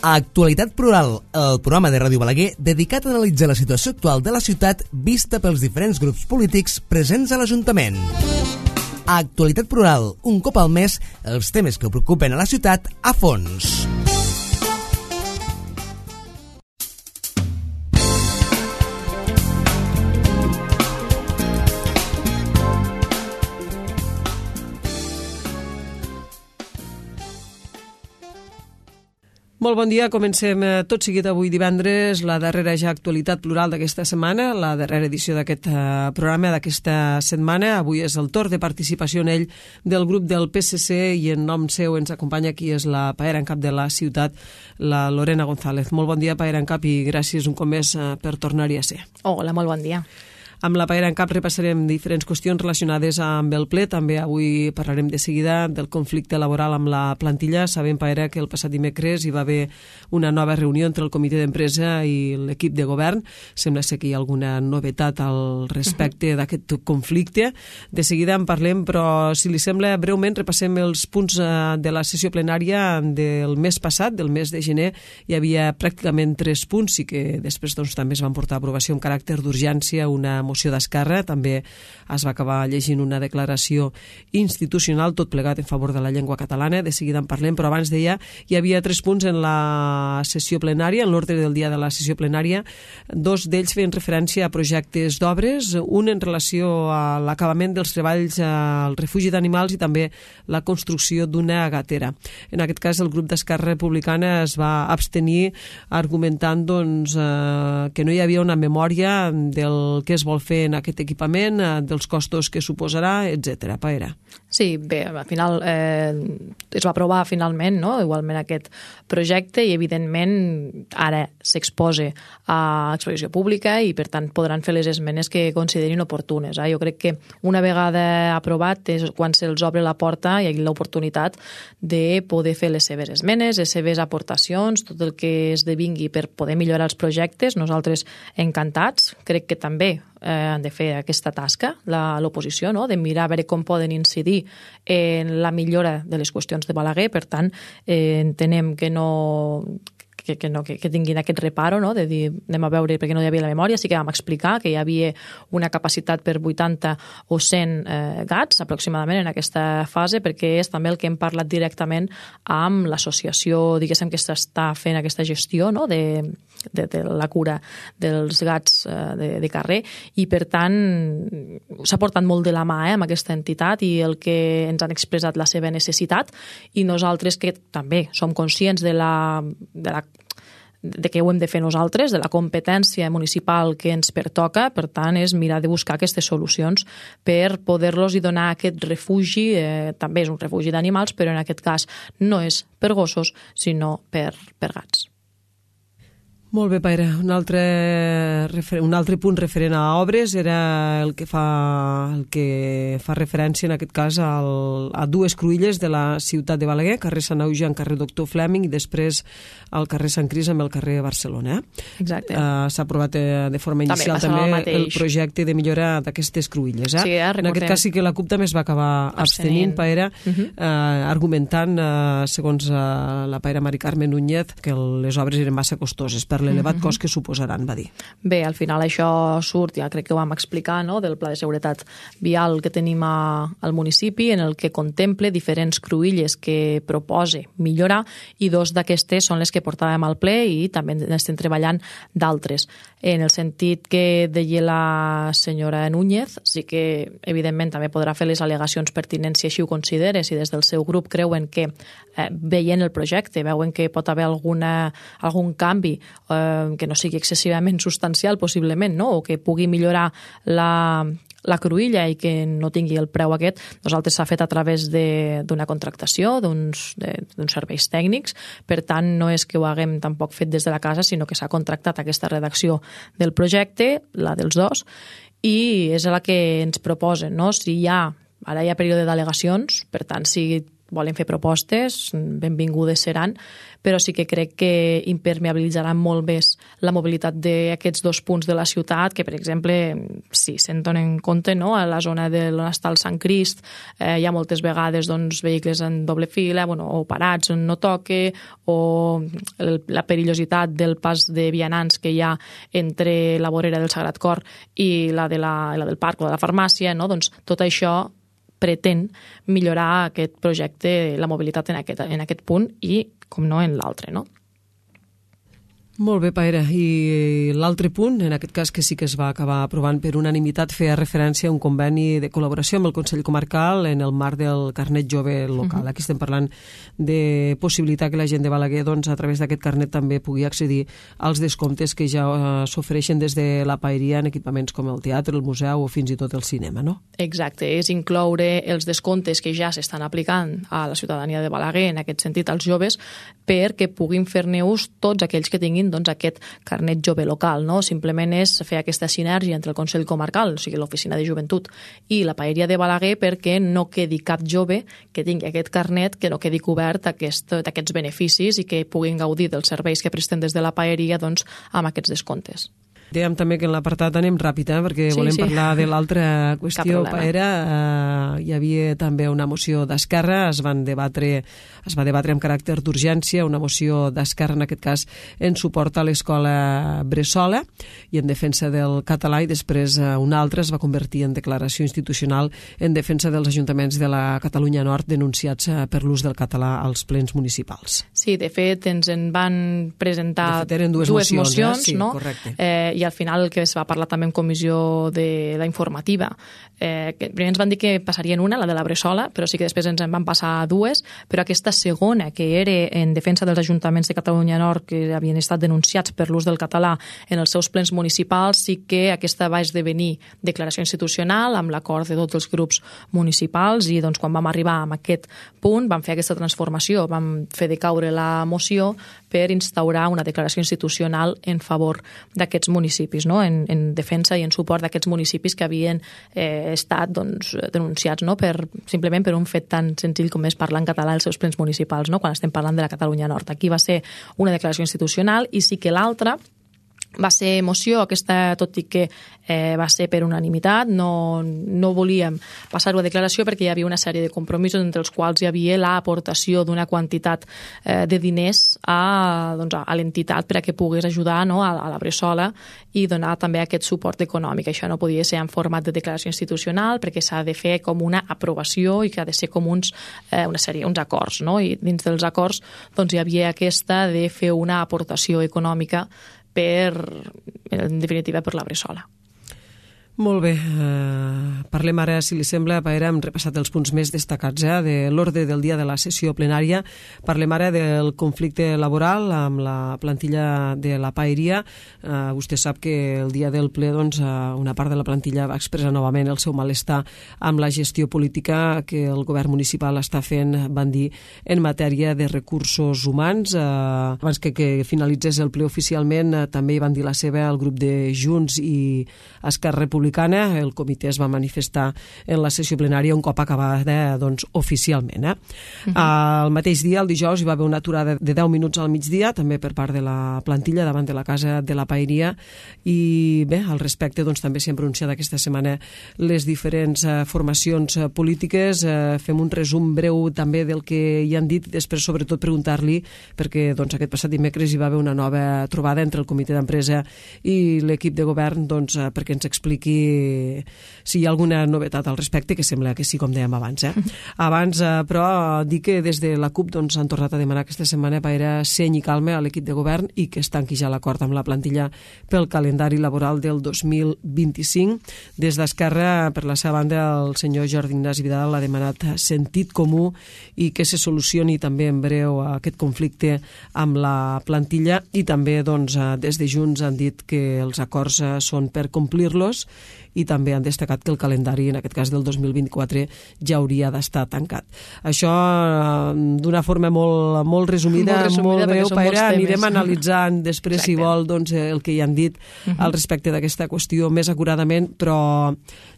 Actualitat Plural, el programa de Ràdio Balaguer dedicat a analitzar la situació actual de la ciutat vista pels diferents grups polítics presents a l'Ajuntament. Actualitat Plural, un cop al mes, els temes que preocupen a la ciutat a fons. Molt bon dia, comencem tot seguit avui divendres, la darrera ja actualitat plural d'aquesta setmana, la darrera edició d'aquest programa d'aquesta setmana. Avui és el torn de participació en ell del grup del PSC i en nom seu ens acompanya qui és la paera en cap de la ciutat, la Lorena González. Molt bon dia, paera en cap, i gràcies un cop més per tornar-hi a ser. Hola, molt bon dia. Amb la paera en cap repassarem diferents qüestions relacionades amb el ple. També avui parlarem de seguida del conflicte laboral amb la plantilla. Sabem, paera, que el passat dimecres hi va haver una nova reunió entre el comitè d'empresa i l'equip de govern. Sembla ser que hi ha alguna novetat al respecte d'aquest conflicte. De seguida en parlem, però si li sembla, breument repassem els punts de la sessió plenària del mes passat, del mes de gener. Hi havia pràcticament 3 punts i que després també es van portar a aprovació amb caràcter d'urgència, una moció d'Esquerra, també es va acabar llegint una declaració institucional, tot plegat en favor de la llengua catalana. De seguida en parlem, però abans deia, hi havia 3 punts en la sessió plenària, en l'ordre del dia de la sessió plenària. 2 d'ells feien referència a projectes d'obres, un en relació a l'acabament dels treballs al refugi d'animals i també la construcció d'una gatera. En aquest cas, el grup d'Esquerra Republicana es va abstenir argumentant que no hi havia una memòria del que es vol fer en aquest equipament, dels costos que suposarà, etc. Paera. Sí, bé, al final es va aprovar finalment, no?, igualment aquest projecte i evidentment ara s'exposa a exposició pública i per tant podran fer les esmenes que considerin oportunes. Jo crec que una vegada aprovat és quan se'ls obre la porta i hi ha l'oportunitat de poder fer les seves esmenes, les seves aportacions, tot el que esdevingui per poder millorar els projectes. Nosaltres encantats, crec que també han de fer aquesta tasca, l'oposició, no?, de mirar a veure com poden incidir en la millora de les qüestions de Balaguer. Per tant, entenem que tinguin aquest reparo, no?, de dir, anem a veure perquè no hi havia la memòria. Sí que vam explicar que hi havia una capacitat per 80 o 100 gats aproximadament en aquesta fase, perquè és també el que hem parlat directament amb l'associació, diguéssim, que s'està fent aquesta gestió, no?, de la cura dels gats de carrer, i per tant s'ha portat molt de la mà amb aquesta entitat i el que ens han expressat la seva necessitat, i nosaltres que també som conscients de que ho hem de fer nosaltres, de la competència municipal que ens pertoca. Per tant, és mirar de buscar aquestes solucions per poder-los donar aquest refugi. També és un refugi d'animals, però en aquest cas no és per gossos, sinó per gats. Molt bé, Paera. Un altre punt referent a obres era el que fa referència en aquest cas a 2 cruïlles de la ciutat de Balaguer, carrer Sant Auge en carrer Doctor Fleming i després al carrer Sant Cris amb el carrer Barcelona. Exacte. S'ha aprovat de forma inicial també el projecte de millora d'aquestes cruïlles. Sí, en aquest cas sí que la CUP també es va acabar abstenint, Paera, argumentant, segons la Paera Mari Carmen Núñez, que les obres eren massa costoses per l'elevat cost que suposaran, va dir. Bé, al final això surt, ja crec que ho vam explicar, no?, del pla de seguretat vial que tenim al municipi, en el que contemple diferents cruïlles que propose millorar, i 2 d'aquestes són les que portàvem al ple i també n'estem treballant d'altres. En el sentit que deia la senyora Núñez, sí que evidentment també podrà fer les al·legacions pertinents si així ho considera, si des del seu grup creuen que veient el projecte, veuen que pot haver algun canvi que no sigui excessivament substancial possiblement, no?, o que pugui millorar la cruïlla i que no tingui el preu aquest. Nosaltres s'ha fet a través d'una contractació, d'uns serveis tècnics. Per tant, no és que ho haguem tampoc fet des de la casa, sinó que s'ha contractat aquesta redacció del projecte, la dels 2, i és la que ens proposen, no? Ara hi ha període d'al·legacions, per tant, si volen fer propostes, benvingudes seran, però sí que crec que impermeabilitzaran molt més la mobilitat d'aquests dos punts de la ciutat, que per exemple, si se'n donen compte, no? A la zona on està el Sant Crist hi ha moltes vegades vehicles en doble fila, o parats on no toque, o la perillositat del pas de vianants que hi ha entre la vorera del Sagrat Cor i la del parc o de la farmàcia, no? Doncs tot això pretén millorar aquest projecte, la mobilitat en aquest punt i, com no, en l'altre, no? Molt bé, Paera. I l'altre punt, en aquest cas que sí que es va acabar aprovant per unanimitat, feia referència a un conveni de col·laboració amb el Consell Comarcal en el marc del carnet jove local. Aquí estem parlant de possibilitar que la gent de Balaguer, a través d'aquest carnet, també pugui accedir als descomptes que ja s'ofereixen des de la paeria en equipaments com el teatre, el museu o fins i tot el cinema, no? Exacte, és incloure els descomptes que ja s'estan aplicant a la ciutadania de Balaguer, en aquest sentit als joves, perquè puguin fer-ne ús tots aquells que tinguin aquest carnet jove local, no? Simplement és fer aquesta sinergia entre el Consell Comarcal, o sigui, l'Oficina de Joventut, i la paeria de Balaguer, perquè no quedi cap jove que tingui aquest carnet que no quedi cobert d'aquests beneficis i que puguin gaudir dels serveis que presten des de la paeria amb aquests descomptes. Dèiem també que en l'apartat anem ràpid, perquè volem parlar de l'altra qüestió, Paera. Hi havia també una moció d'Esquerra, es va debatre amb caràcter d'urgència, una moció d'Esquerra, en aquest cas, en suport a l'escola Bressola i en defensa del català, i després una altra es va convertir en declaració institucional en defensa dels ajuntaments de la Catalunya Nord denunciats per l'ús del català als plens municipals. Sí, de fet, ens en van presentar dues mocions, sí, no? Correcte. I al final el que es va parlar també en comissió de la informativa, que primer ens van dir que passarien una, la de la Bressola, però sí que després ens en van passar dues, però aquesta segona, que era en defensa dels ajuntaments de Catalunya Nord que havien estat denunciats per l'ús del català en els seus plens municipals, sí que aquesta va esdevenir declaració institucional amb l'acord de tots els grups municipals, i quan vam arribar a aquest punt vam fer aquesta transformació, vam fer decaure la moció per instaurar una declaració institucional en favor d'aquests municipis, no? En defensa i en suport d'aquests municipis que havien estat denunciats, no? Simplement per un fet tan senzill com és parlar en català als seus plens municipals, no? Quan estem parlant de la Catalunya Nord. Aquí va ser una declaració institucional, i sí que l'altra va ser moció, aquesta, tot i que va ser per unanimitat, no volíem passar-ho a declaració perquè hi havia una sèrie de compromisos entre els quals hi havia l'aportació d'una quantitat de diners a l'entitat per a que pogués ajudar, no, a la Bressola, i donar també aquest suport econòmic. Això no podia ser en format de declaració institucional perquè s'ha de fer com una aprovació i que ha de ser com uns acords, no? I dins dels acords hi havia aquesta de fer una aportació econòmica en definitiva per la Bressola. Molt bé, parlem ara, si li sembla, Paera, hem repassat els punts més destacats de l'ordre del dia de la sessió plenària. Parlem ara del conflicte laboral amb la plantilla de la paeria. Vostè sap que el dia del ple una part de la plantilla va expressar novament el seu malestar amb la gestió política que el govern municipal està fent, van dir, en matèria de recursos humans. Abans que finalitzés el ple oficialment, també hi van dir la seva el grup de Junts i Esquerra Republicana. El comitè es va manifestar en la sessió plenària un cop acabada oficialment. El mateix dia, el dijous, hi va haver una aturada de 10 minuts al migdia, també per part de la plantilla davant de la casa de la paeria, i bé, al respecte també s'han pronunciat aquesta setmana les diferents formacions polítiques. Fem un resum breu també del que hi han dit, i després sobretot preguntar-li, perquè aquest passat dimecres hi va haver una nova trobada entre el comitè d'empresa i l'equip de govern, perquè ens expliqui si hi ha alguna novetat al respecte, que sembla que sí, com dèiem abans. Abans, però, dir que des de la CUP han tornat a demanar aquesta setmana per seny i calma a l'equip de govern i que es tanqui ja l'acord amb la plantilla pel calendari laboral del 2025. Des d'Esquerra, per la seva banda, el senyor Jordi Ignasi Vidal ha demanat sentit comú i que se solucioni també en breu aquest conflicte amb la plantilla, i també des de Junts han dit que els acords són per complir-los i també han destacat que el calendari, en aquest cas del 2024, ja hauria d'estar tancat. Això, d'una forma molt resumida, molt breu, Paera, anirem analitzant després, si vol, doncs, el que hi han dit al respecte d'aquesta qüestió més acuradament, però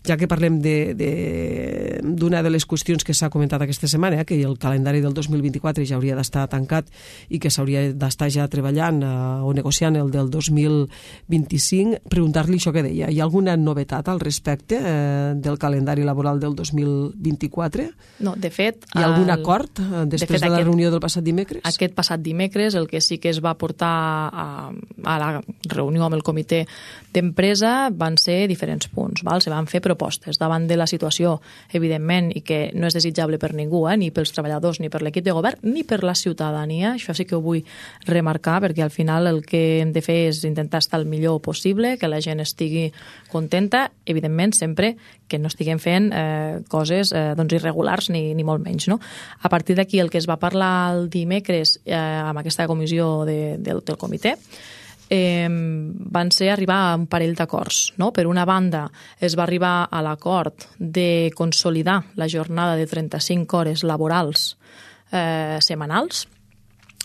ja que parlem d'una de les qüestions que s'ha comentat aquesta setmana, que el calendari del 2024 ja hauria d'estar tancat i que s'hauria d'estar ja treballant o negociant el del 2025, preguntar-li això que deia. Hi ha alguna novetat al respecte del calendari laboral del 2024? No, de fet... Hi ha algun acord després de la reunió del passat dimecres? Aquest passat dimecres el que sí que es va portar a la reunió amb el comitè d'empresa van ser diferents punts. Se van fer propostes davant de la situació, evidentment, i que no és desitjable per ningú, ni pels treballadors, ni per l'equip de govern, ni per la ciutadania. Això sí que ho vull remarcar, perquè al final el que hem de fer és intentar estar el millor possible, que la gent estigui contenta, evidentment sempre que no estiguem fent coses irregulars ni molt menys. No? A partir d'aquí el que es va parlar el dimecres amb aquesta comissió del comitè van ser arribar a un parell d'acords. No? Per una banda, es va arribar a l'acord de consolidar la jornada de 35 hores laborals setmanals.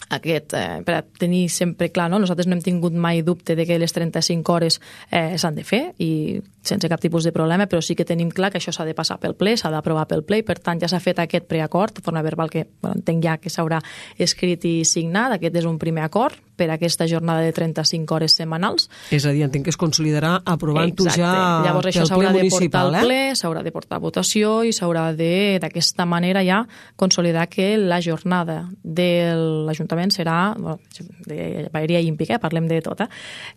Per a tenir sempre clar, no? Nosaltres no hem tingut mai dubte de que les 35 hores s'han de fer i sense cap tipus de problema, però sí que tenim clar que això s'ha de passar pel ple, s'ha d'aprovar pel ple, i per tant ja s'ha fet aquest preacord de forma verbal que entenc ja que s'haurà escrit i signat. Aquest és un primer acord per a aquesta jornada de 35 hores setmanals. És a dir, entenc que es consolidarà aprovant-ho ja llavors això s'haurà de portar al ple, s'haurà de portar a votació i s'haurà d'aquesta manera ja consolidar que la jornada de l'Ajuntament serà, de Baeria i Impica, parlem de tot,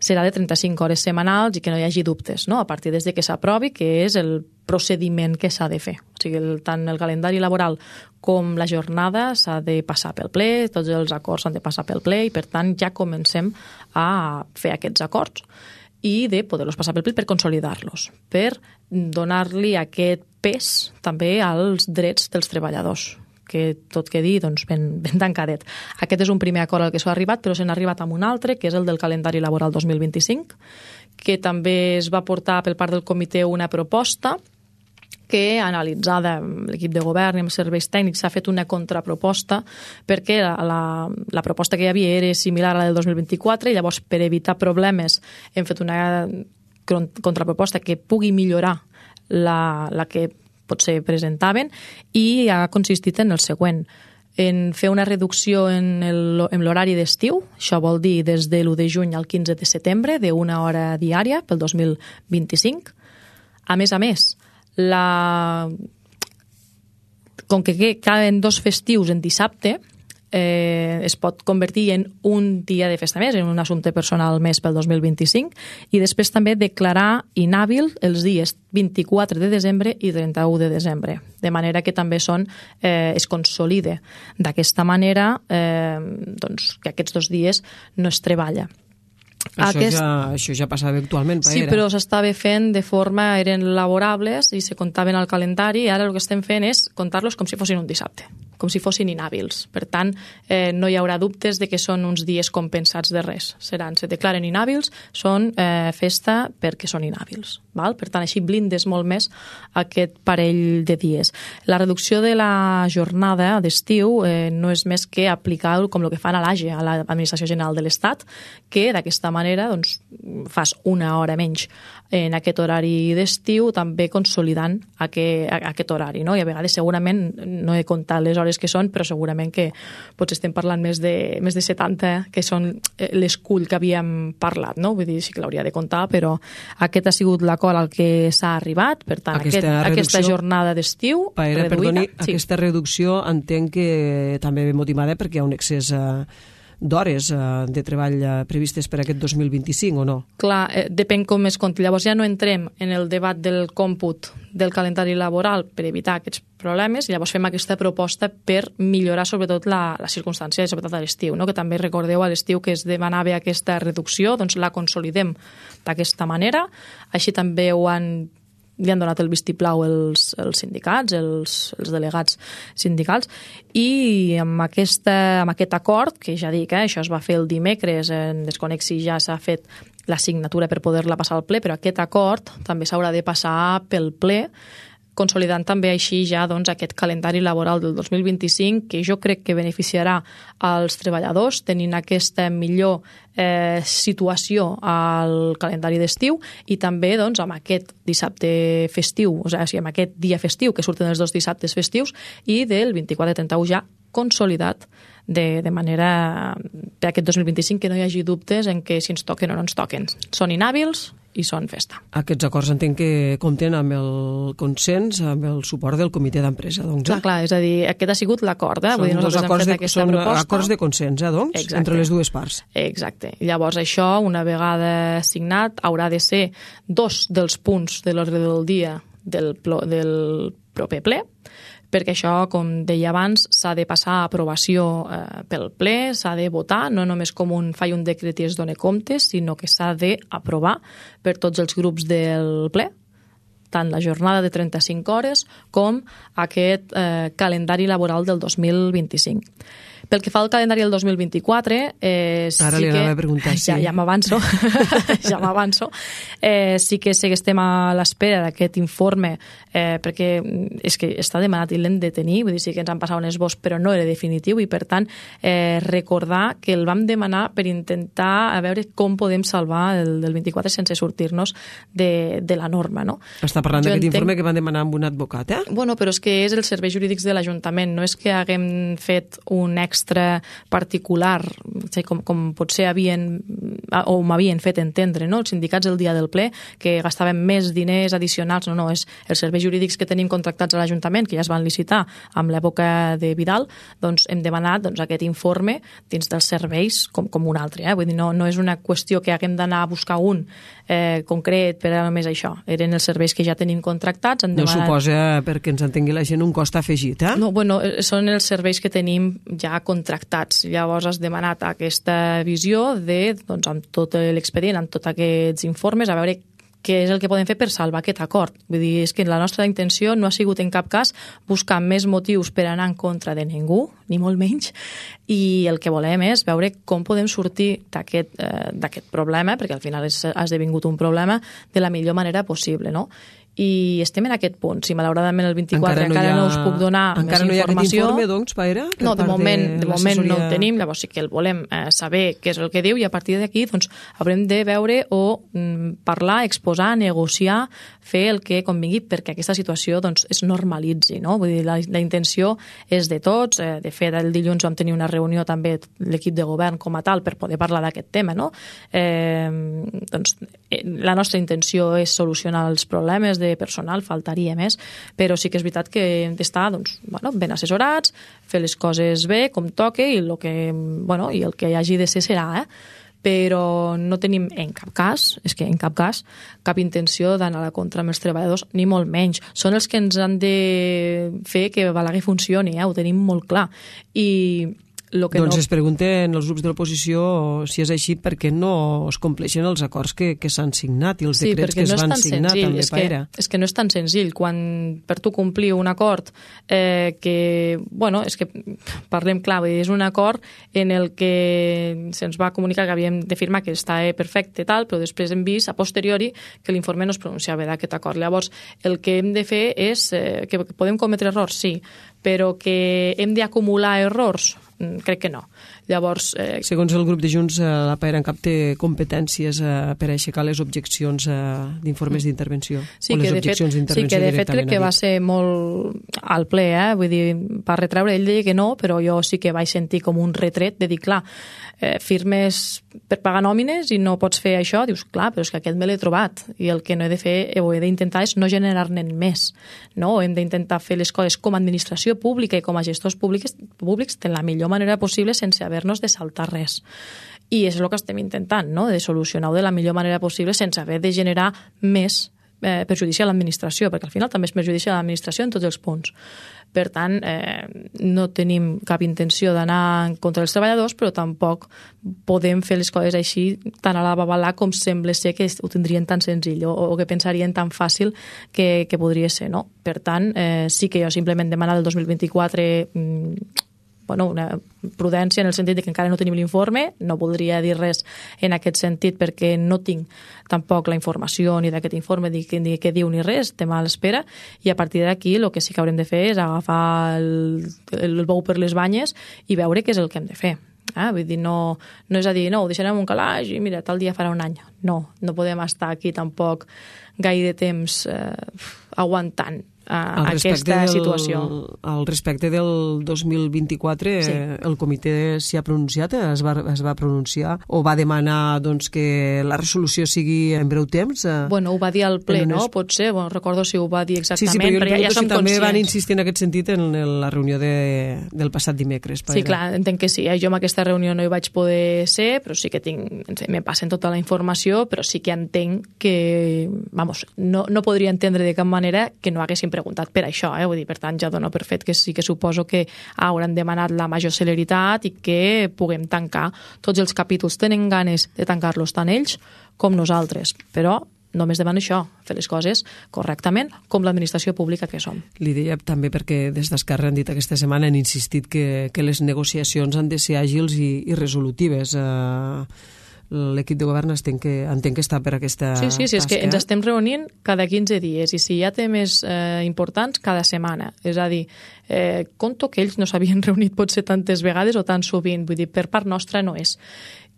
serà de 35 hores setmanals i que no hi hagi dubtes, no? A partir des de que s'aprovi, que és el procediment que s'ha de fer. O sigui, tant el calendari laboral com la jornada s'ha de passar pel ple, tots els acords s'han de passar pel ple i per tant ja comencem a fer aquests acords i de poder-los passar pel ple per consolidar-los, per donar-li aquest pes també als drets dels treballadors, que tot quedi ben tancadet. Aquest és un primer acord al que s'ha arribat, però se n'ha arribat amb un altre, que és el del calendari laboral 2025, que també es va portar per part del comitè una proposta que, analitzada amb l'equip de govern i amb els serveis tècnics, s'ha fet una contraproposta perquè la proposta que hi havia era similar a la del 2024 i llavors, per evitar problemes, hem fet una contraproposta que pugui millorar la que potser presentaven i ha consistit en el següent: en fer una reducció en l'horari d'estiu, això vol dir des de l'1 de juny al 15 de setembre, d'una hora diària pel 2025. A més, com que caben 2 festius en dissabte, es pot convertir en un dia de festa més, en un assumpte personal més pel 2025, i després també declarar inhàbil els dies 24 de desembre i 31 de desembre, de manera que també es consolide d'aquesta manera que aquests 2 dies no es treballa. Això ja passava actualment, Paera. Sí, però s'estava fent de forma, eren laborables i se comptaven al calendari, i ara el que estem fent és comptar-los com si fossin un dissabte, com si fossin inhàbils. Per tant, no hi haurà dubtes de que són uns dies compensats de res. Se declaren inhàbils, són festa perquè són inhàbils. Val? Per tant, així blindes molt més aquest parell de dies. La reducció de la jornada d'estiu no és més que aplicar com el que fan a l'AGE, a l'Administració General de l'Estat, que d'aquesta manera fas una hora menys en aquest horari d'estiu, també consolidant aquest horari. No? I a vegades segurament, no he comptat les hores que són, però segurament que potser estem parlant més de 70, que són l'escull que havíem parlat. No? Vull dir, sí que l'hauria de comptar, però aquest ha sigut l'acord al que s'ha arribat. Per tant, aquesta jornada d'estiu reduïda. Perdoni, aquesta reducció entenc que també ve motivada perquè hi ha un excés d'hores de treball previstes per aquest 2025 o no? Clar, depèn com es compti. Llavors ja no entrem en el debat del còmput del calendari laboral per evitar aquests problemes i llavors fem aquesta proposta per millorar sobretot la circumstància, sobretot a l'estiu, no? Que també recordeu a l'estiu que es demanava aquesta reducció, doncs la consolidem d'aquesta manera. Així també ho han li han donat el vistiplau els sindicats, els delegats sindicals, i amb aquest acord, que ja dic, això es va fer el dimecres, desconec si ja s'ha fet la signatura per poder-la passar al ple, però aquest acord també s'haurà de passar pel ple, consolidant també així ja aquest calendari laboral del 2025, que jo crec que beneficiarà als treballadors, tenint aquesta millor situació al calendari d'estiu, i també amb aquest dissabte festiu, o sigui, amb aquest dia festiu, que surten els 2 dissabtes festius, i del 24-31 ja consolidat de manera per aquest 2025, que no hi hagi dubtes en que si ens toquen o no ens toquen. Són inhàbils i són festa. Aquests acords entenc que compten amb el consens, amb el suport del comitè d'empresa, doncs. Clar, és a dir, aquest ha sigut l'acord. Són dos acords de consens, doncs, exacte, entre les dues parts. Exacte. Llavors això, una vegada signat, haurà de ser 2 dels punts de l'ordre del dia del proper ple, perquè això, com deia abans, s'ha de passar a aprovació pel ple, s'ha de votar, no només com faig un decret i es dona compte, sinó que s'ha d'aprovar per tots els grups del ple, tant la jornada de 35 hores com aquest calendari laboral del 2025. Pel que fa al calendari del 2024... Ara li anava a preguntar, sí. Ja m'avanço. Ja m'avanço. Sí que estem a l'espera d'aquest informe, perquè és que està demanat i l'hem de tenir, vull dir, sí que ens han passat un esbós, però no era definitiu, i per tant recordar que el vam demanar per intentar a veure com podem salvar el del 24 sense sortir-nos de la norma, no? Està parlant d'aquest informe que van demanar amb un advocat, eh? Bueno, però és que és els serveis jurídics de l'Ajuntament, no és que haguem fet un extra particular, com potser m'havien fet entendre, no? Els sindicats el dia del ple, que gastaven més diners addicionals, no, és els serveis jurídics que tenim contractats a l'Ajuntament, que ja es van licitar amb l'època de Vidal, doncs hem demanat aquest informe dins dels serveis com un altre, vull dir, no és una qüestió que haguem d'anar a buscar un concret per a només això, eren els serveis que ja tenim contractats. No suposa, perquè ens entengui la gent, un cost afegit, eh? No, bueno, són els serveis que tenim ja contractats. Llavors has demanat aquesta visió amb tot l'expedient, amb tots aquests informes, a veure què és el que podem fer per salvar aquest acord. Vull dir, és que la nostra intenció no ha sigut en cap cas buscar més motius per anar en contra de ningú, ni molt menys, i el que volem és veure com podem sortir d'aquest problema, perquè al final ha esdevingut un problema, de la millor manera possible, no? I estem en aquest punt. Si malauradament el 24 encara no us puc donar més informació... Encara no hi ha aquest informe, doncs, Paira? No, de moment no el tenim, llavors sí que el volem saber què és el que diu, i a partir d'aquí doncs, haurem de veure o parlar, exposar, negociar, fer el que convingui perquè aquesta situació doncs, es normalitzi, no? Vull dir, la intenció és de tots. De fet, el dilluns vam tenir una reunió també l'equip de govern com a tal per poder parlar d'aquest tema, no? Doncs, la nostra intenció és solucionar els problemes de personal, faltaria més, però sí que és veritat que hem d'estar ben assessorats, fer les coses bé, com toque, i el que hi hagi de ser serà, però no tenim en cap cas, cap intenció d'anar a la contra amb els treballadors, ni molt menys. Són els que ens han de fer que Balaguer funcioni, ho tenim molt clar. I doncs es pregunten els grups de l'oposició si és així perquè no es compleixen els acords que s'han signat i els decrets que es van signar també, Paira. És que no és tan senzill. Quan per tu complir un acord és que parlem clar, és un acord en el que se'ns va comunicar que havíem de firmar que està perfecte tal, però després hem vist a posteriori que l'informe no es pronunciava d'aquest acord. Llavors, el que hem de fer és que podem cometre errors, sí, però que hem d'acumular errors, crec que no. Llavors... Segons el grup de Junts, la PAERANCAP té competències per aixecar les objeccions d'informes d'intervenció. Sí, que de fet crec que va ser molt al ple, vull dir, per retreure, ell deia que no, però jo sí que vaig sentir com un retret de dir, clar, firmes per pagar nòmines i no pots fer això, dius, clar, però és que aquest me l'he trobat i el que no he de fer, o he d'intentar és no generar-ne més, no? Hem d'intentar fer les coses com a administració pública i com a gestors públics de la millor manera possible sense haver-nos de saltar res. I és el que estem intentant, no? De solucionar-ho de la millor manera possible sense haver de generar més perjudici a l'administració, perquè al final també es perjudicia a l'administració en tots els punts. Per tant, no tenim cap intenció d'anar contra els treballadors, però tampoc podem fer les coses així tan a la babalà com sembla ser que ho tindrien tan senzill o que pensarien tan fàcil que podria ser, no? Per tant, sí que jo simplement demanar del 2024 una prudència en el sentit que encara no tenim l'informe, no voldria dir res en aquest sentit perquè no tinc tampoc la informació ni d'aquest informe ni què diu ni res, estem a l'espera, i a partir d'aquí el que sí que haurem de fer és agafar el bou per les banyes i veure què és el que hem de fer. Vull dir, no és a dir, no, ho deixarem un calaix i mira, tal dia farà un any. No podem estar aquí tampoc gaire temps aguantant aquesta situació. Al respecte del 2024, sí. El comitè s'hi ha pronunciat, es va pronunciar, o va demanar que la resolució sigui en breu temps? Ho va dir al ple, no? Potser, recordo si ho va dir exactament, sí, però ja som també conscients. Van insistir en aquest sentit en la reunió del passat dimecres. Sí, clar, entenc que sí. Jo en aquesta reunió no hi vaig poder ser, però sí que me passen tota la informació, però sí que entenc que, no podria entendre de cap manera que no haguessin preguntat per això, vull dir, per tant ja dono per fet que sí que suposo que hauran demanat la major celeritat i que puguem tancar tots els capítols. Tenen ganes de tancar-los tant ells com nosaltres, però només demano això, fer les coses correctament com l'administració pública que som. Li deia també perquè des d'Esquerra han dit aquesta setmana, han insistit que les negociacions han de ser àgils i resolutives. L'equip de govern entenc que està per aquesta tasca. Sí, és que ens estem reunint cada 15 dies i si hi ha temes importants, cada setmana. És a dir, conto que ells no s'havien reunit potser tantes vegades o tan sovint, vull dir, per part nostra no és.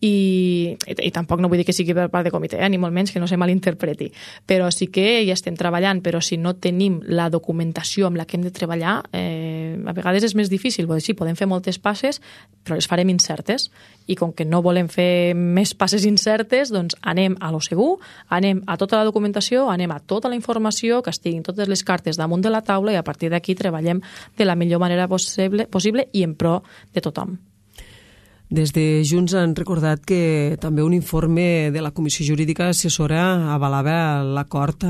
I tampoc no vull dir que sigui per part de comitè, ni molt menys, que no se malinterpreti, però sí que hi estem treballant, però si no tenim la documentació amb la que hem de treballar, a vegades és més difícil. Sí, podem fer moltes passes, però les farem incertes, i com que no volem fer més passes incertes, doncs anem a lo segur, anem a tota la documentació, anem a tota la informació, que estiguin totes les cartes damunt de la taula, i a partir d'aquí treballem de la millor manera possible i en pro de tothom. Des de Junts han recordat que també un informe de la Comissió Jurídica Assessora avalava l'acord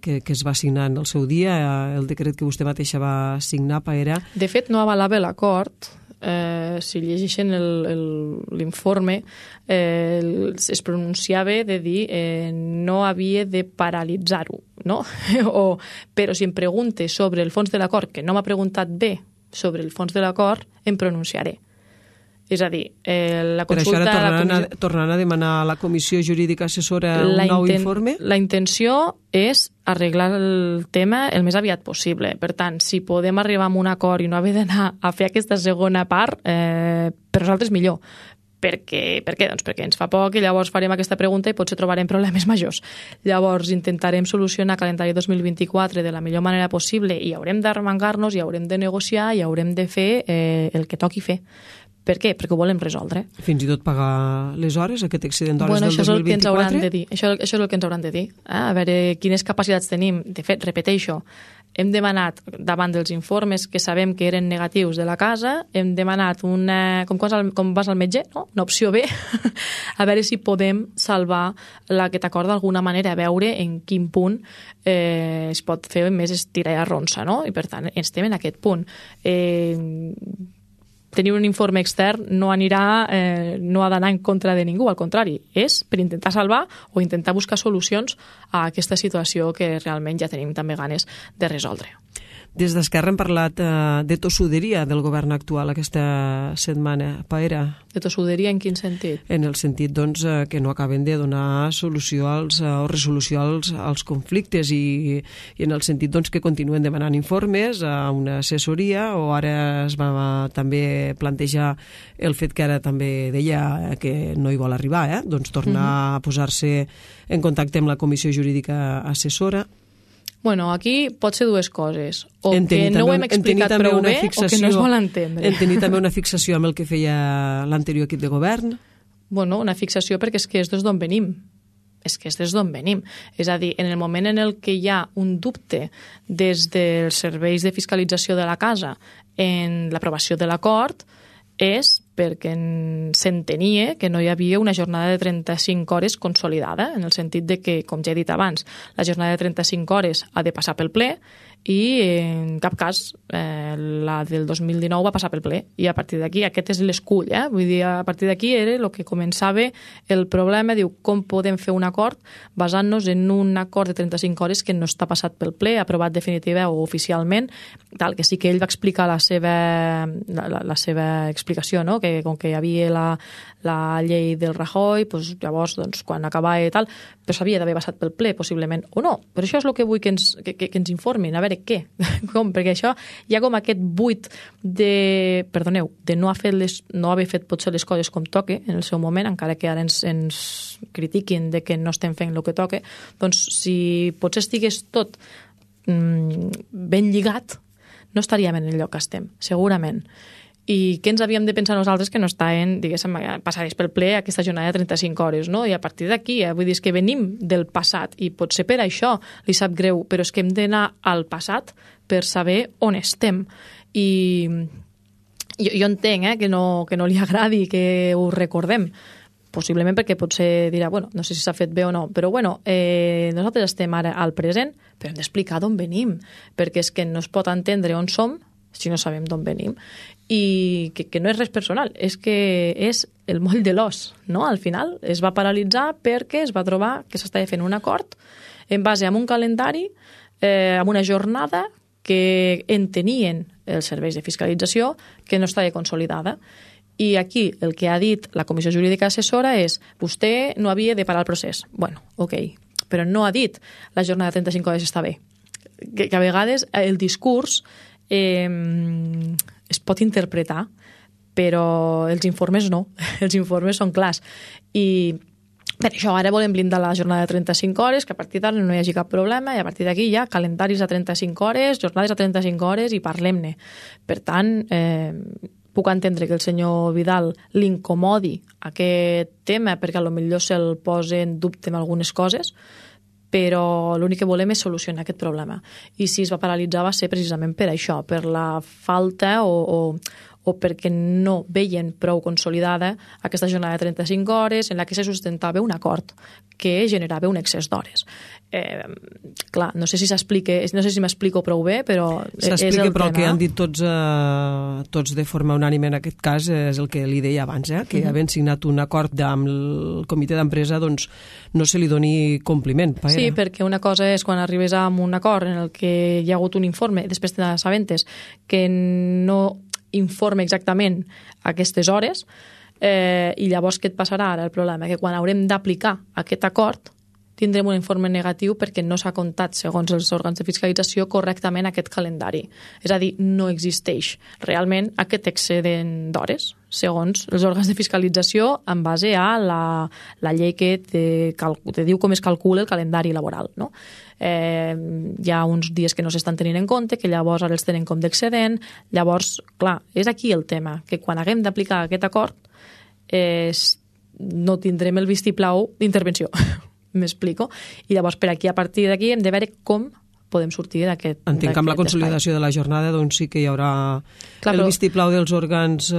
que es va signar en el seu dia, el decret que vostè mateixa va signar, Paera. De fet, no avalava l'acord. Si llegeixen l'informe, es pronunciava de dir no havia de paralitzar-ho, no? Però si em pregunte sobre el fons de l'acord, que no m'ha preguntat bé sobre el fons de l'acord, em pronunciaré. És a dir, la consulta... Per això ara tornaran a demanar a la Comissió Jurídica Assessora un nou informe? La intenció és arreglar el tema el més aviat possible. Per tant, si podem arribar a un acord i no haver d'anar a fer aquesta segona part, per nosaltres millor. Per què? Doncs perquè ens fa poc i llavors farem aquesta pregunta i potser trobarem problemes majors. Llavors intentarem solucionar el calendari 2024 de la millor manera possible i haurem d'arremangar-nos i haurem de negociar i haurem de fer el que toqui fer. Per què? Perquè ho volem resoldre. Fins i tot pagar les hores, aquest excedent d'hores del 2024? Això és el que ens hauran de dir. Això és el que ens hauran de dir. A veure quines capacitats tenim. De fet, repeteixo, hem demanat, davant dels informes que sabem que eren negatius de la casa, hem demanat com vas al metge, no? Una opció B, a veure si podem salvar aquest acord d'alguna manera, a veure en quin punt es pot fer més estirar i arronsa, no? I per tant, estem en aquest punt. Tenir un informe extern no ha d'anar en contra de ningú, al contrari, és per intentar salvar o intentar buscar solucions a aquesta situació que realment ja tenim també ganes de resoldre. Des d'Esquerra hem parlat de tossuderia del govern actual aquesta setmana. Paera? De tossuderia en quin sentit? En el sentit que no acaben de donar solució o resolució als conflictes i en el sentit que continuen demanant informes a una assessoria, o ara es va també plantejar el fet que ara també deia que no hi vol arribar, tornar a posar-se en contacte amb la Comissió Jurídica Assessora. Bueno, aquí pot ser dues coses. O que no ho hem explicat prou bé o que no es vol entendre. En tenir també una fixació amb el que feia l'anterior equip de govern? Bueno, una fixació perquè és que és des d'on venim. És que és des d'on venim. És a dir, en el moment en el que hi ha un dubte des dels serveis de fiscalització de la casa en l'aprovació de l'acord, és perquè s'entenia que no hi havia una jornada de 35 hores consolidada, en el sentit de que, com ja he dit abans, la jornada de 35 hores ha de passar pel ple i en cap cas la del 2019 va passar pel ple. I a partir d'aquí, aquest és l'escull, vull dir, a partir d'aquí era el que començava el problema, diu, com podem fer un acord basant-nos en un acord de 35 hores que no està passat pel ple, aprovat definitiva o oficialment, tal, que sí que ell va explicar la seva explicació, no? Que com que hi havia la llei del Rajoy, doncs, llavors, doncs, quan acabava i tal, però s'havia d'haver passat pel ple, possiblement, o no. Però això és el que vull que ens informin, a veure què, com, perquè això hi ha com aquest buit de no haver fet potser les coses com toque en el seu moment, encara que ara ens critiquin de que no estem fent el que toque, doncs si potser estigués tot ben lligat, no estaríem en el lloc que estem, segurament. I què ens havíem de pensar nosaltres que no estaven, diguéssim, passades pel ple aquesta jornada de 35 hores, no? I a partir d'aquí, vull dir, és que venim del passat i potser per això li sap greu, però és que hem d'anar al passat per saber on estem. I jo entenc que no li agradi que ho recordem, possiblement perquè potser dirà, bueno, no sé si s'ha fet bé o no, però bueno, nosaltres estem ara al present, però hem d'explicar d'on venim, perquè és que no es pot entendre on som si no sabem d'on venim, i que no és res personal, és que és el moll de l'os, no? Al final es va paralitzar perquè es va trobar que s'estava fent un acord en base a un calendari, amb una jornada que entenien els serveis de fiscalització que no estava consolidada. I aquí el que ha dit la Comissió Jurídica Assessora és vostè no havia de parar el procés. Bueno, ok, però no ha dit la jornada de 35 hores està bé. Que a vegades el discurs es pot interpretar, però els informes no. Els informes són clars. I per això ara volem blindar la jornada de 35 hores, que a partir d'ara no hi hagi cap problema, i a partir d'aquí ja calendaris a 35 hores, jornades a 35 hores i parlem-ne. Per tant, puc entendre que el senyor Vidal l'incomodi aquest tema perquè potser se'l posa en dubte amb algunes coses, però l'únic que volem és solucionar aquest problema. I si es va paralitzar va ser precisament per això, per la falta o perquè no veien prou consolidada aquesta jornada de 35 hores en la que se sustentava un acord que generava un excés d'hores. Clar, no sé si m'explico prou bé, però s'explica, però el que han dit tots de forma unànime en aquest cas és el que li deia abans, que havent signat un acord amb el comitè d'empresa, doncs no se li doni compliment. Sí, perquè una cosa és quan arribes a un acord en el que hi ha hagut un informe, després te n'assabentes, que no informe exactament aquestes hores, i llavors què et passarà ara? El problema que quan haurem d'aplicar aquest acord tindrem un informe negatiu perquè no s'ha comptat, segons els òrgans de fiscalització, correctament aquest calendari. És a dir, no existeix realment aquest excedent d'hores, segons els òrgans de fiscalització, en base a la llei que te diu com es calcula el calendari laboral, no? Hi ha uns dies que no s'estan tenint en compte, que llavors ara els tenen com d'excedent. Llavors, clar, és aquí el tema, que quan haguem d'aplicar aquest acord no tindrem el vistiplau d'intervenció. M'explico? I llavors, per aquí, a partir d'aquí, hem de veure com podem sortir d'aquest espai. Entenc que amb la consolidació de la jornada doncs sí que hi haurà el vistiplau dels òrgans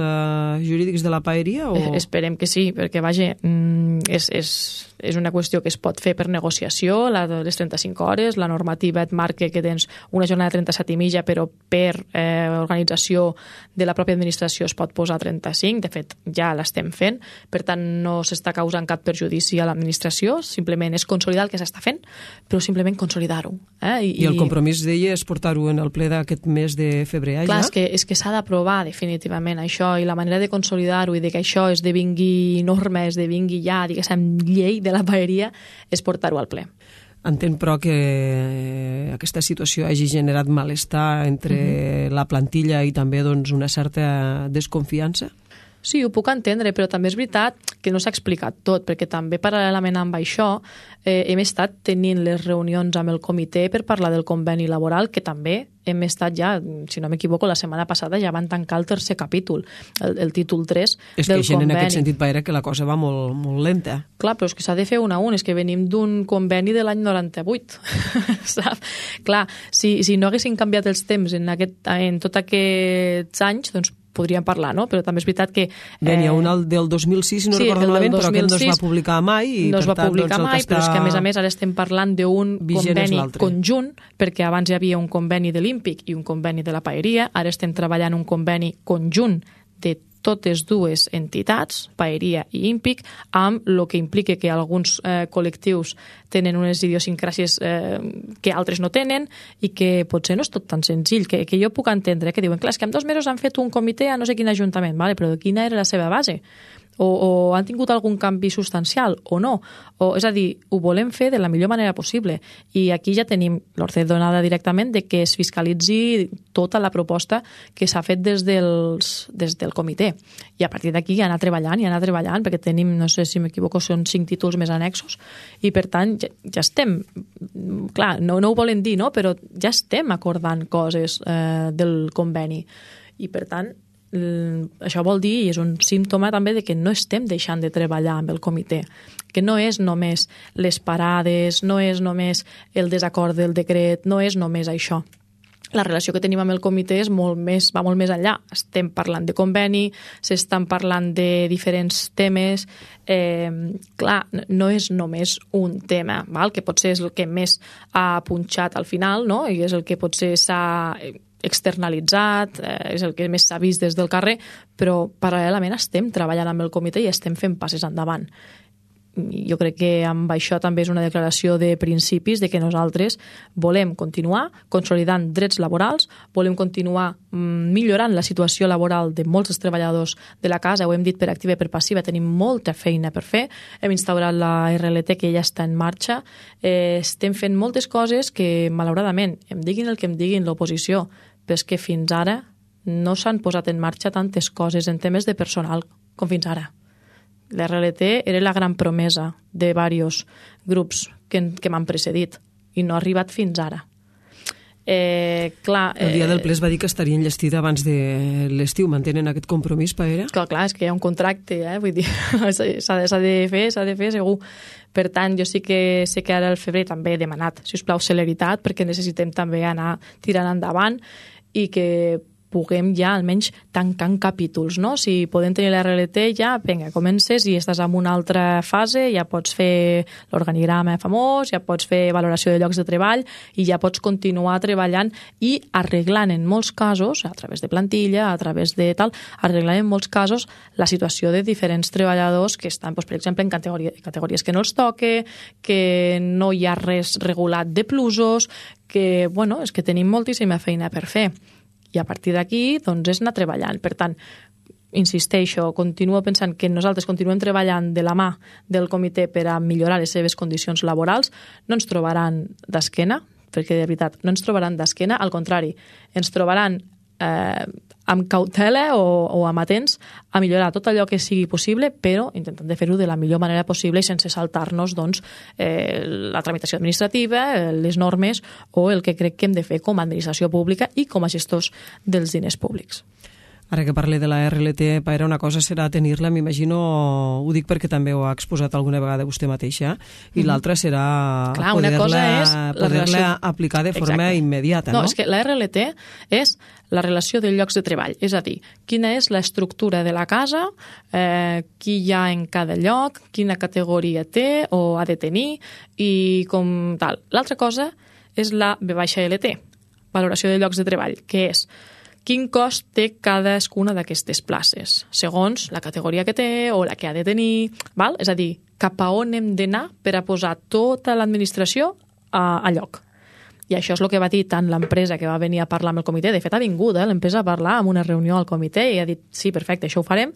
jurídics de la paeria? Esperem que sí, perquè, vaja, és una qüestió que es pot fer per negociació, la de les 35 hores, la normativa et marca que tens una jornada de 37 i mitja, però per organització de la pròpia administració es pot posar 35, de fet ja l'estem fent, per tant no s'està causant cap perjudici a l'administració, simplement és consolidar el que s'està fent, però simplement consolidar-ho. I el compromís d'ella és portar-ho en el ple d'aquest mes de febrer, clar, ja? És que s'ha d'aprovar definitivament això, i la manera de consolidar-ho i de que això esdevingui norma, esdevingui ja, diguéssim, llei de la paeria, és portar-ho al ple. Entenc, però, que aquesta situació hagi generat malestar entre la plantilla i també doncs, una certa desconfiança? Sí, ho puc entendre, però també és veritat que no s'ha explicat tot, perquè també paral·lelament amb això hem estat tenint les reunions amb el comitè per parlar del conveni laboral, que també hem estat ja, si no m'equivoco, la setmana passada ja van tancar el tercer capítol, el títol 3 del conveni. És que gent en aquest sentit va que la cosa va molt, molt lenta. Clar, però és que s'ha de fer un a un, és que venim d'un conveni de l'any 98, saps? Clar, si no haguessin canviat els temps en tots aquests anys, doncs podríem parlar, no? Però també és veritat que... Bé, n'hi ha un del 2006, si no recordo malament, però aquest no es va publicar mai. No es va publicar mai, però és que, a més, ara estem parlant d'un conveni conjunt, perquè abans hi havia un conveni de l'Ímpic i un conveni de la Paeria, ara estem treballant un conveni conjunt de totes dues entitats, Paeria i Ímpic, amb el que implica que alguns col·lectius tenen unes idiosincràsies que altres no tenen i que potser no és tot tan senzill, que jo puc entendre, que diuen, clar, és que en 2 mesos han fet un comitè a no sé quin ajuntament, vale, però quina era la seva base? O han tingut algun canvi substancial o no, és a dir, ho volem fer de la millor manera possible i aquí ja tenim l'ordre donada directament de que es fiscalitzi tota la proposta que s'ha fet des del comitè i a partir d'aquí anar treballant perquè tenim, no sé si m'equivoco, són 5 títols més annexos i per tant ja estem, clar, no ho volen dir, no? Però ja estem acordant coses del conveni i per tant això vol dir, i és un símptoma també de que no estem deixant de treballar amb el comitè, que no és només les parades, no és només el desacord del decret, no és només això. La relació que tenim amb el comitè va molt més enllà. Estem parlant de conveni, s'estan parlant de diferents temes. Clar, no és només un tema, val? Que potser és el que més ha punxat al final, no? I és el que potser s'ha externalitzat, és el que més s'ha vist des del carrer, però paral·lelament estem treballant amb el comitè i estem fent passes endavant. Jo crec que amb això també és una declaració de principis de que nosaltres volem continuar consolidant drets laborals, volem continuar millorant la situació laboral de molts dels treballadors de la casa, ho hem dit per activa i per passiva, tenim molta feina per fer, hem instaurat la RLT que ja està en marxa, estem fent moltes coses que malauradament, em diguin el que em diguin l'oposició, però és que fins ara no s'han posat en marxa tantes coses en temes de personal com fins ara. La RLT era la gran promesa de diversos grups que m'han precedit i no ha arribat fins ara. El dia del ple es va dir que estaria enllestida abans de l'estiu. Mantenen aquest compromís, Paera? Clar, és que hi ha un contracte, vull dir, s'ha de fer segur. Per tant, jo sí que sé que ara al febrer també he demanat, si us plau, celeritat, perquè necessitem també anar tirant endavant i que puguem ja almenys tancant capítols, no? Si podem tenir la RLT ja, vinga, comences i estàs en una altra fase, ja pots fer l'organigrama famós, ja pots fer valoració de llocs de treball i ja pots continuar treballant i arreglant en molts casos, a través de plantilla, a través de tal, arreglant en molts casos la situació de diferents treballadors que estan, per exemple, en categories que no els toque, que no hi ha res regulat de plusos, que, bueno, és que tenim moltíssima feina per fer. I a partir d'aquí, doncs, és anar treballant. Per tant, insisteixo, continuo pensant que nosaltres continuem treballant de la mà del comitè per a millorar les seves condicions laborals. No ens trobaran d'esquena, perquè de veritat no ens trobaran d'esquena, al contrari, ens trobaran amb cautela o amatents a millorar tot allò que sigui possible, però intentant de fer-ho de la millor manera possible i sense saltar-nos doncs, la tramitació administrativa, les normes o el que crec que hem de fer com a administració pública i com a gestors dels diners públics. Ara que parle de la RLT, Paera, una cosa serà tenir-la, m'imagino, ho dic perquè també ho ha exposat alguna vegada vostè mateixa, i l'altra serà poder-la aplicar de forma immediata, no? No, és que la RLT és la relació de llocs de treball, és a dir, quina és l'estructura de la casa, qui hi ha en cada lloc, quina categoria té o ha de tenir, i com tal. L'altra cosa és la V-LT, valoració de llocs de treball, que és quin cost té cadascuna d'aquestes places, segons la categoria que té o la que ha de tenir, val? És a dir, cap a on hem d'anar per a posar tota l'administració a lloc. I això és el que va dir tant l'empresa que va venir a parlar amb el comitè, de fet ha vingut l'empresa a parlar en una reunió al comitè i ha dit, sí, perfecte, això ho farem,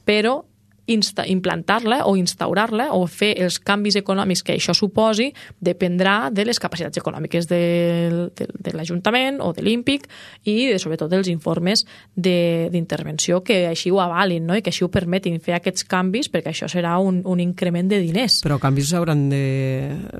però implantar-la o instaurar-la o fer els canvis econòmics que això suposi dependrà de les capacitats econòmiques de l'Ajuntament o de l'Ímpic i sobretot dels informes d'intervenció que així ho avalin, no? I que així ho permetin fer aquests canvis, perquè això serà un increment de diners. Però canvis s'hauran de,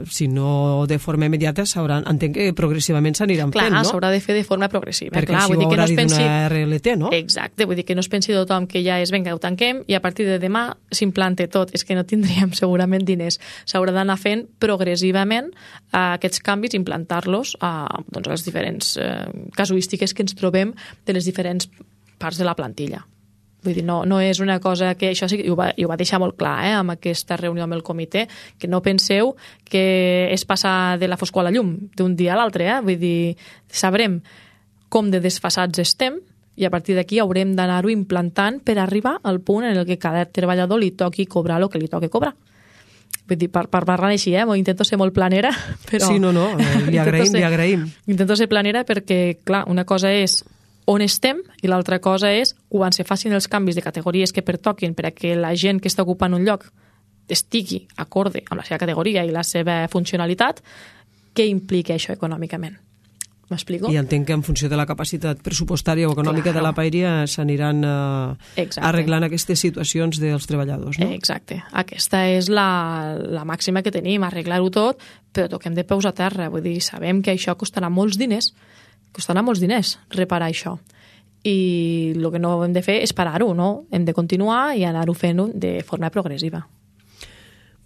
si no de forma immediata, entenc que progressivament s'aniran fent, no? Clar, s'haurà de fer de forma progressiva. Perquè així ho haurà dit una RLT, no? Exacte, vull dir que no es pensi tothom que ja és, vinga, ho tanquem i a partir de demà s'implante tot, és que no tindríem segurament diners. S'haurà d'anar fent progressivament aquests canvis, implantar-los a les diferents casuístiques que ens trobem de les diferents parts de la plantilla. Vull dir, no és una cosa que... Això sí que ho va deixar molt clar amb aquesta reunió amb el comitè, que no penseu que és passar de la foscor a la llum d'un dia a l'altre. Vull dir, sabrem com de desfasats estem i a partir d'aquí haurem d'anar-ho implantant per arribar al punt en el que cada treballador li toqui cobrar el que li toqui cobrar. Vull dir, per parlar així, intento ser molt planera, però... Sí, no, li agraïm. Intento ser planera perquè, clar, una cosa és on estem i l'altra cosa és quan se facin els canvis de categories que pertoquin per a que la gent que està ocupant un lloc estigui acorde amb la seva categoria i la seva funcionalitat, què implica això econòmicament? M'explico? I entenc que en funció de la capacitat pressupostària o econòmica de la paeria s'aniran arreglant aquestes situacions dels treballadors, no? Exacte. Aquesta és la màxima que tenim, arreglar-ho tot, però toquem de peus a terra. Vull dir, sabem que això costarà molts diners reparar això. I el que no hem de fer és parar-ho, no? Hem de continuar i anar-ho fent de forma progressiva.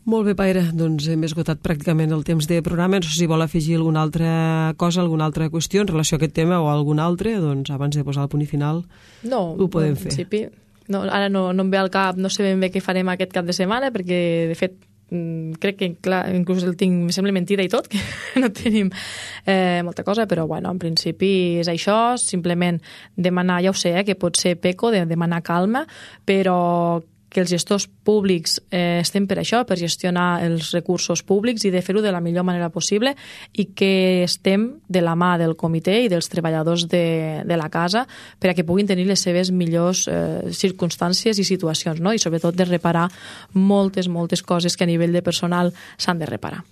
Molt bé, Paire, doncs hem esgotat pràcticament el temps de programa. No sé si vol afegir alguna altra cosa, alguna altra qüestió en relació a aquest tema o algun altre, doncs abans de posar el punt i final ho podem fer. No, ara no em ve al cap, no sé ben bé què farem aquest cap de setmana, perquè de fet crec que clar, inclús el tinc, me sembla mentida i tot, que no tenim molta cosa, però bueno, en principi és això, simplement demanar, ja ho sé, que pot ser peco, de demanar calma, però que els gestors públics estem per això, per gestionar els recursos públics i de fer-ho de la millor manera possible i que estem de la mà del comitè i dels treballadors de la casa per a que puguin tenir les seves millors circumstàncies i situacions, no? I sobretot de reparar moltes coses que a nivell de personal s'han de reparar.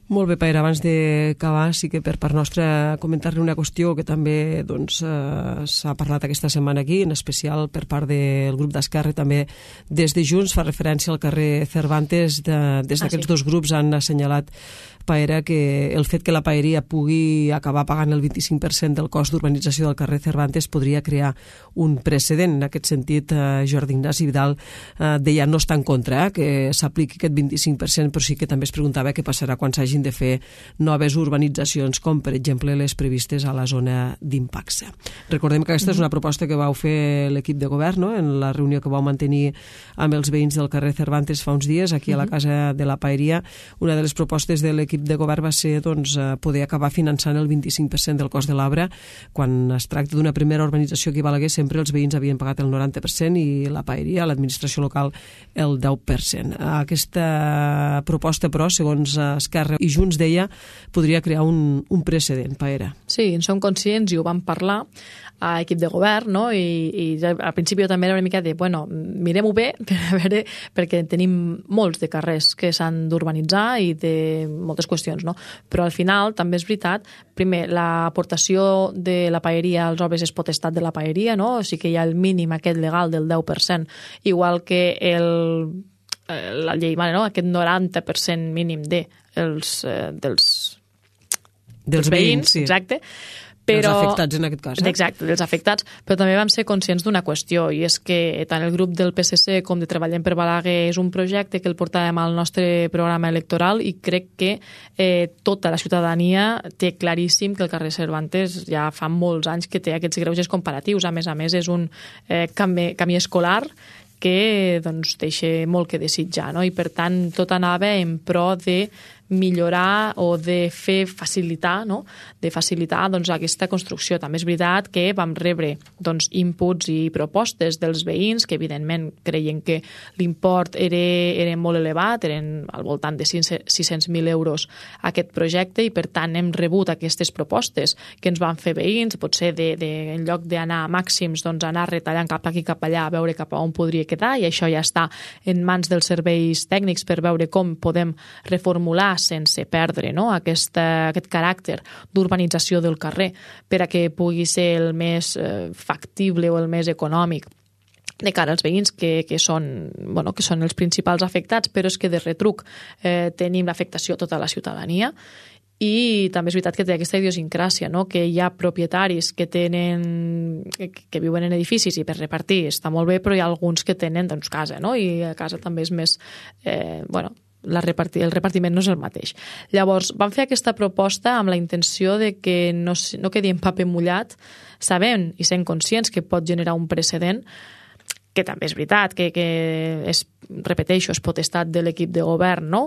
Molt bé, Paire, abans d'acabar, sí que per part nostra comentar-li una qüestió que també s'ha parlat aquesta setmana aquí, en especial per part del grup d'Esquerra i també des de Junts, fa referència al carrer Cervantes. Des d'aquests dos grups han assenyalat, Paire, que el fet que la paeria pugui acabar pagant el 25% del cost d'urbanització del carrer Cervantes podria crear un precedent. En aquest sentit, Jordi Ignasi Vidal deia no està en contra que s'apliqui aquest 25%, però sí que també es preguntava què passarà quan s'hagin de fer noves urbanitzacions, com per exemple les previstes a la zona d'Impaxe. Recordem que aquesta és una proposta que vau fer l'equip de govern, no?, en la reunió que vau mantenir amb els veïns del carrer Cervantes fa uns dies, aquí a la Casa de la Paeria. Una de les propostes de l'equip de govern va ser poder acabar finançant el 25% del cost de l'obra. Quan es tracta d'una primera urbanització aquí a Balaguer, sempre els veïns havien pagat el 90% i la paeria, l'administració local, el 10%. Aquesta proposta, però, segons Esquerra i Junts, deia, podria crear un precedent, Paera. Sí, en som conscients i ho vam parlar a equip de govern, no? I al principi també era una mica de, bueno, mirem-ho bé perquè tenim molts de carrers que s'han d'urbanitzar i de moltes qüestions, no? Però al final també és veritat, primer, l'aportació de la paeria als obres és potestat de la paeria, no? O sigui que hi ha el mínim aquest legal del 10%, igual que la llei, no? Aquest 90% mínim dels veïns, sí. Exacte. Dels afectats, en aquest cas. Exacte, dels afectats, però també vam ser conscients d'una qüestió, i és que tant el grup del PSC com de Treballem per Balaguer és un projecte que el portàvem al nostre programa electoral i crec que tota la ciutadania té claríssim que el carrer Cervantes ja fa molts anys que té aquests greuges comparatius. A més, és un camí escolar que deixa molt que desitjar, no? I per tant tot anava en pro de millorar o de fer facilitar, no? De facilitar aquesta construcció. També és veritat que vam rebre inputs i propostes dels veïns que evidentment creien que l'import era molt elevat, eren al voltant de 600.000 euros aquest projecte, i per tant hem rebut aquestes propostes que ens van fer veïns, potser en lloc d'anar a màxims, anar retallant cap aquí cap allà a veure cap a on podria quedar, i això ja està en mans dels serveis tècnics per veure com podem reformular sense perdre, no?, aquest caràcter d'urbanització del carrer per a que pugui ser el més factible o el més econòmic de cara als veïns que són els principals afectats, però és que de retruc tenim l'afectació a tota la ciutadania. I també és veritat que té aquesta idiosincràsia, no?, que hi ha propietaris que viuen en edificis i per repartir està molt bé, però hi ha alguns que tenen casa, no?, i a casa també és més el repartiment no és el mateix. Llavors, vam fer aquesta proposta amb la intenció de que no quedi en paper mullat, sabent i sent conscients que pot generar un precedent, que també és veritat, que repeteixo, és potestat de l'equip de govern, no?,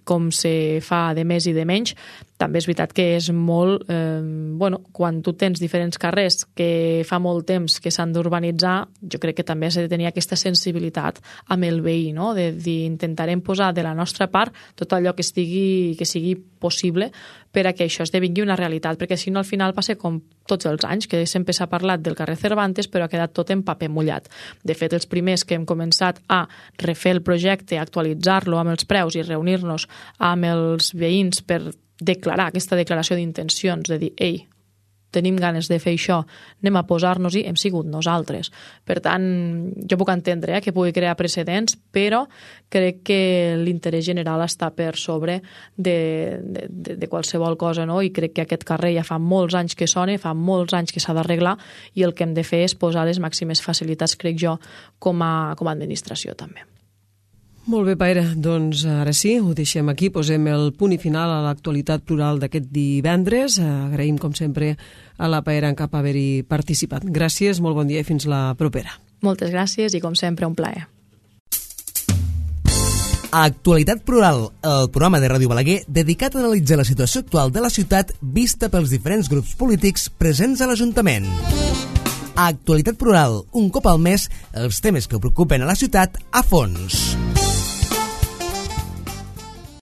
com se fa de més i de menys. També és veritat que és molt... quan tu tens diferents carrers que fa molt temps que s'han d'urbanitzar, jo crec que també s'ha de tenir aquesta sensibilitat amb el veí, no?, de dir, intentarem posar de la nostra part tot allò que sigui possible per a que això esdevingui una realitat, perquè si no al final passa com tots els anys, que sempre s'ha parlat del carrer Cervantes però ha quedat tot en paper mullat. De fet, els primers que hem començat a refer el projecte, actualitzar-lo amb els preus i reunir-nos amb els veïns per declarar aquesta declaració d'intencions, de dir, ei, tenim ganes de fer això, anem a posar-nos-hi, hem sigut nosaltres. Per tant, jo puc entendre que pugui crear precedents, però crec que l'interès general està per sobre de qualsevol cosa, no? I crec que aquest carrer ja fa molts anys que sona, fa molts anys que s'ha d'arreglar, i el que hem de fer és posar les màximes facilitats, crec jo, com a administració també. Molt bé, Paire. Doncs ara sí, ho deixem aquí. Posem el punt i final a l'actualitat plural d'aquest divendres. Agraïm, com sempre, a la Paire en Cap haver-hi participat. Gràcies, molt bon dia i fins la propera. Moltes gràcies i, com sempre, un plaer. Actualitat Plural, el programa de Ràdio Balaguer dedicat a analitzar la situació actual de la ciutat vista pels diferents grups polítics presents a l'Ajuntament. Actualitat Plural, un cop al mes, els temes que preocupen a la ciutat a fons.